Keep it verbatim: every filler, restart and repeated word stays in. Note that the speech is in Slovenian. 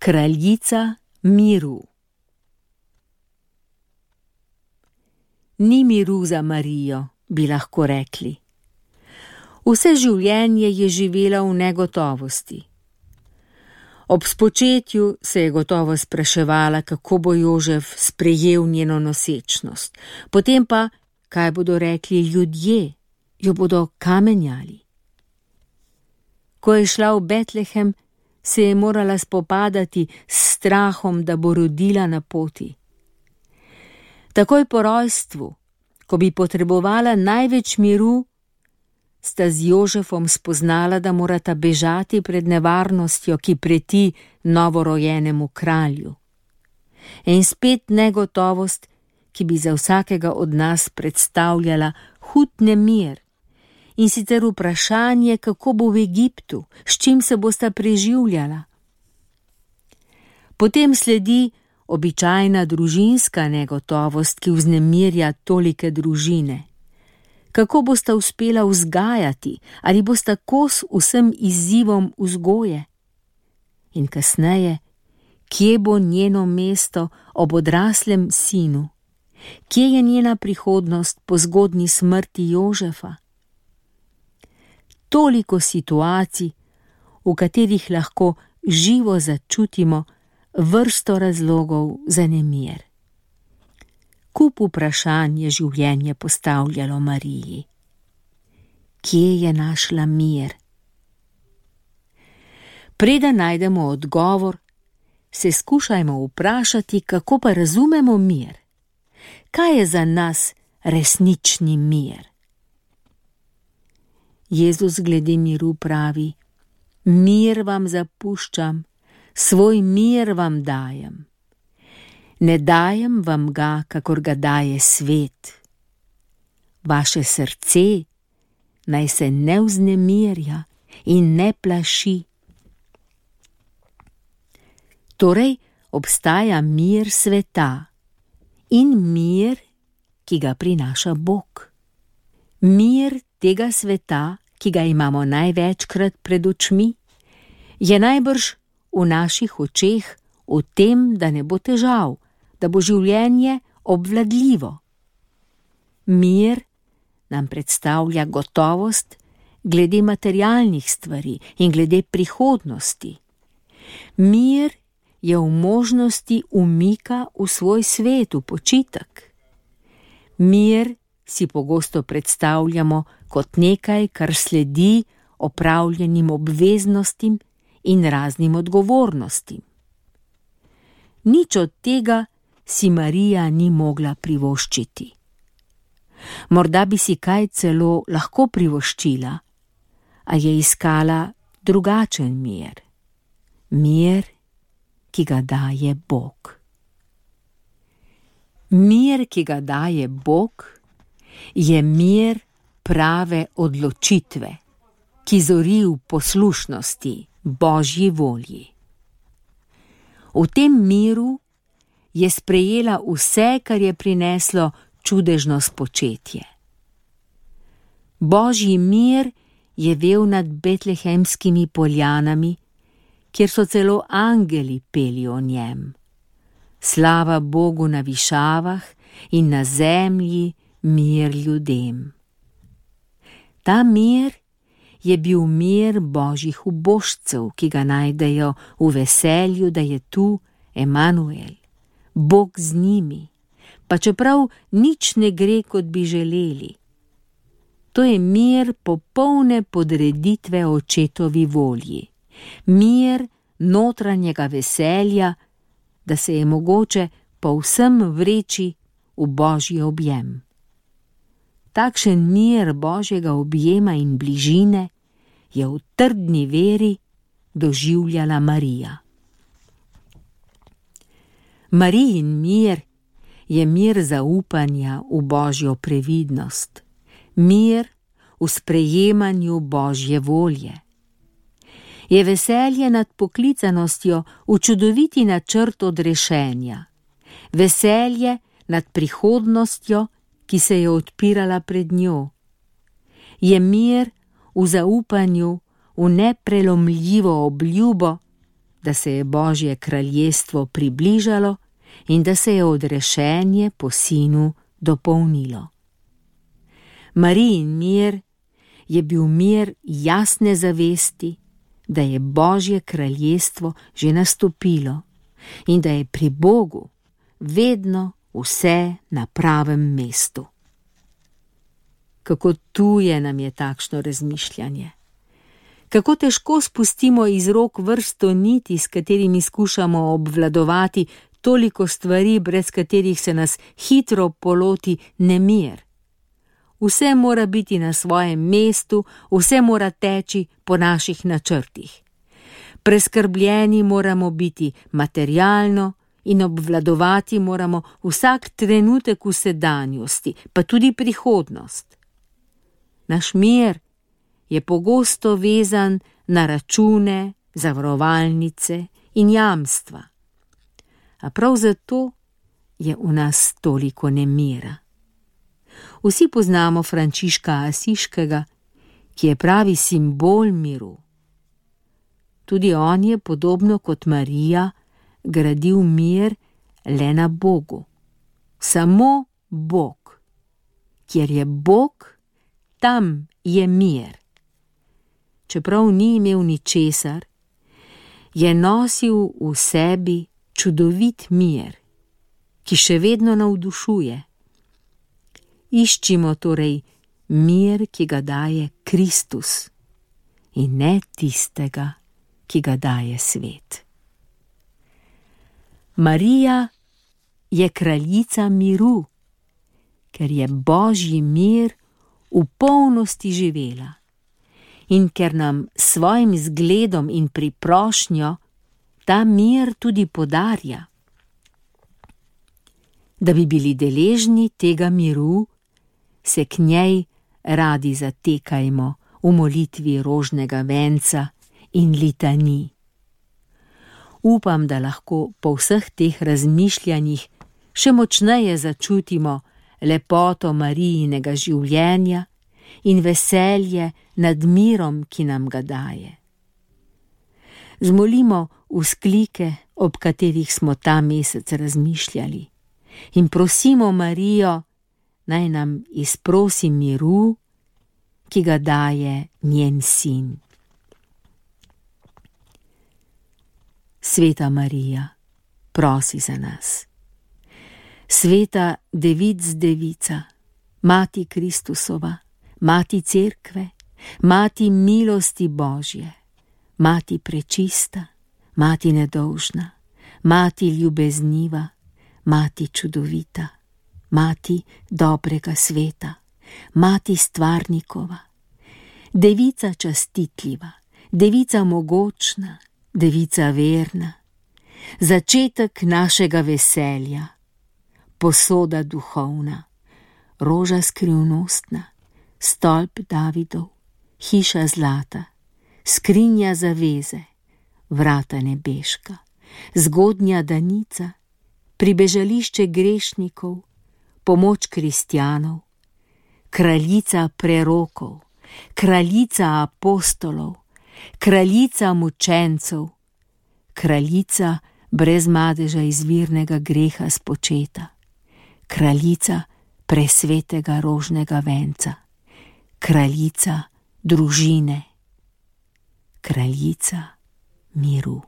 Kraljica miru. Ni miru za Marijo, bi lahko rekli. Vse življenje je živela v negotovosti. Ob spočetju se je gotovo spraševala, kako bo Jožef sprejel njeno nosečnost. Potem pa, kaj bodo rekli ljudje, jo bodo kamenjali. Ko je šla v Betlehem, se je morala spopadati s strahom, da bo rodila na poti. Takoj po rojstvu, ko bi potrebovala največ miru, sta z Jožefom spoznala, da morata bežati pred nevarnostjo, ki preti novorojenemu kralju. In spet negotovost, ki bi za vsakega od nas predstavljala hud nemir, in sicer vprašanje, kako bo v Egiptu, s čim se bosta preživljala. Potem sledi običajna družinska negotovost, ki vznemirja tolike družine. Kako bosta uspela vzgajati, ali bosta kos vsem izzivom vzgoje? In kasneje, kje bo njeno mesto ob odraslem sinu? Kje je njena prihodnost po zgodnji smrti Jožefa? Toliko situacij, v katerih lahko živo začutimo vrsto razlogov za nemir. Kup vprašanj je življenje postavljalo Mariji. Kje je našla mir? Preden najdemo odgovor, se skušajmo vprašati, kako pa razumemo mir. Kaj je za nas resnični mir? Jezus glede miru pravi: mir vam zapuščam, svoj mir vam dajem. Ne dajem vam ga, kakor ga daje svet. Vaše srce naj se ne vznemirja in ne plaši. Torej obstaja mir sveta in mir, ki ga prinaša Bog. Mir tega sveta, ki ga imamo največkrat pred očmi, je najbrž v naših očeh v tem, da ne bo težav, da bo življenje obvladljivo. Mir nam predstavlja gotovost glede materialnih stvari in glede prihodnosti. Mir je v možnosti umika v svoj svet, v počitek. Mir si pogosto predstavljamo kot nekaj, kar sledi opravljenim obveznostim in raznim odgovornostim. Nič od tega si Marija ni mogla privoščiti. Morda bi si kaj celo lahko privoščila, a je iskala drugačen mir. Mir, ki ga daje Bog. Mir, ki ga daje Bog, je mir prave odločitve, ki zori v poslušnosti Božji volji. V tem miru je sprejela vse, kar je prineslo čudežno spočetje. Božji mir je vel nad betlehemskimi poljanami, kjer so celo angeli peli o njem. Slava Bogu na višavah in na zemlji mir ljudem. Ta mir je bil mir Božjih ubožcev, ki ga najdejo v veselju, da je tu Emanuel, Bog z njimi, pa čeprav nič ne gre, kot bi želeli. To je mir popolne podreditve očetovi volji, mir notranjega veselja, da se je mogoče povsem vreči v Božji objem. Takšen mir Božjega objema in bližine je v trdni veri doživljala Marija. Marijin mir je mir zaupanja v Božjo previdnost, mir v sprejemanju Božje volje. Je veselje nad poklicanostjo v čudoviti načrt odrešenja, veselje nad prihodnostjo, ki se je odpirala pred njo. Je mir v zaupanju v neprelomljivo obljubo, da se je Božje kraljestvo približalo in da se je odrešenje po sinu dopolnilo. Marijin mir je bil mir jasne zavesti, da je Božje kraljestvo že nastopilo in da je pri Bogu vedno vse na pravem mestu. Kako tuje nam je takšno razmišljanje. Kako težko spustimo iz rok vrsto niti, s katerimi skušamo obvladovati toliko stvari, brez katerih se nas hitro poloti nemir. Vse mora biti na svojem mestu, vse mora teči po naših načrtih. Preskrbljeni moramo biti materialno in obvladovati moramo vsak trenutek v sedanjosti, pa tudi prihodnost. Naš mir je pogosto vezan na račune, zavarovalnice in jamstva. A prav zato je v nas toliko nemira. Vsi poznamo Frančiška Asiškega, ki je pravi simbol miru. Tudi on je, podobno kot Marija, gradil mir le na Bogu. Samo Bog. Kjer je Bog, tam je mir. Čeprav ni imel ničesar, je nosil v sebi čudovit mir, ki še vedno navdušuje. Iščimo torej mir, ki ga daje Kristus, in ne tistega, ki ga daje svet. Marija je kraljica miru, ker je Božji mir v polnosti živela in ker nam s svojim zgledom in priprošnjo ta mir tudi podarja. Da bi bili deležni tega miru, se k njej radi zatekajmo v molitvi rožnega venca in litanij. Upam, da lahko po vseh teh razmišljanjih še močneje začutimo lepoto Marijinega življenja in veselje nad mirom, ki nam ga daje. Zmolimo vzklike, ob katerih smo ta mesec razmišljali, in prosimo Marijo, naj nam izprosi miru, ki ga daje njen sin. Sveta Marija, prosi za nas. Sveta Devic Devica, Mati Kristusova, Mati Cerkve, Mati milosti Božje, Mati prečista, Mati nedolžna, Mati ljubezniva, Mati čudovita, Mati dobrega sveta, Mati stvarnikova, Devica častitljiva, Devica mogočna, Devica verna, začetek našega veselja, posoda duhovna, roža skrivnostna, stolp Davidov, hiša zlata, skrinja zaveze, vrata nebeška, zgodnja danica, pribežališče grešnikov, pomoč kristjanov, kraljica prerokov, kraljica apostolov, kraljica mučencev, kraljica brez madeža izvirnega greha spočeta, kraljica presvetega rožnega venca, kraljica družine, kraljica miru.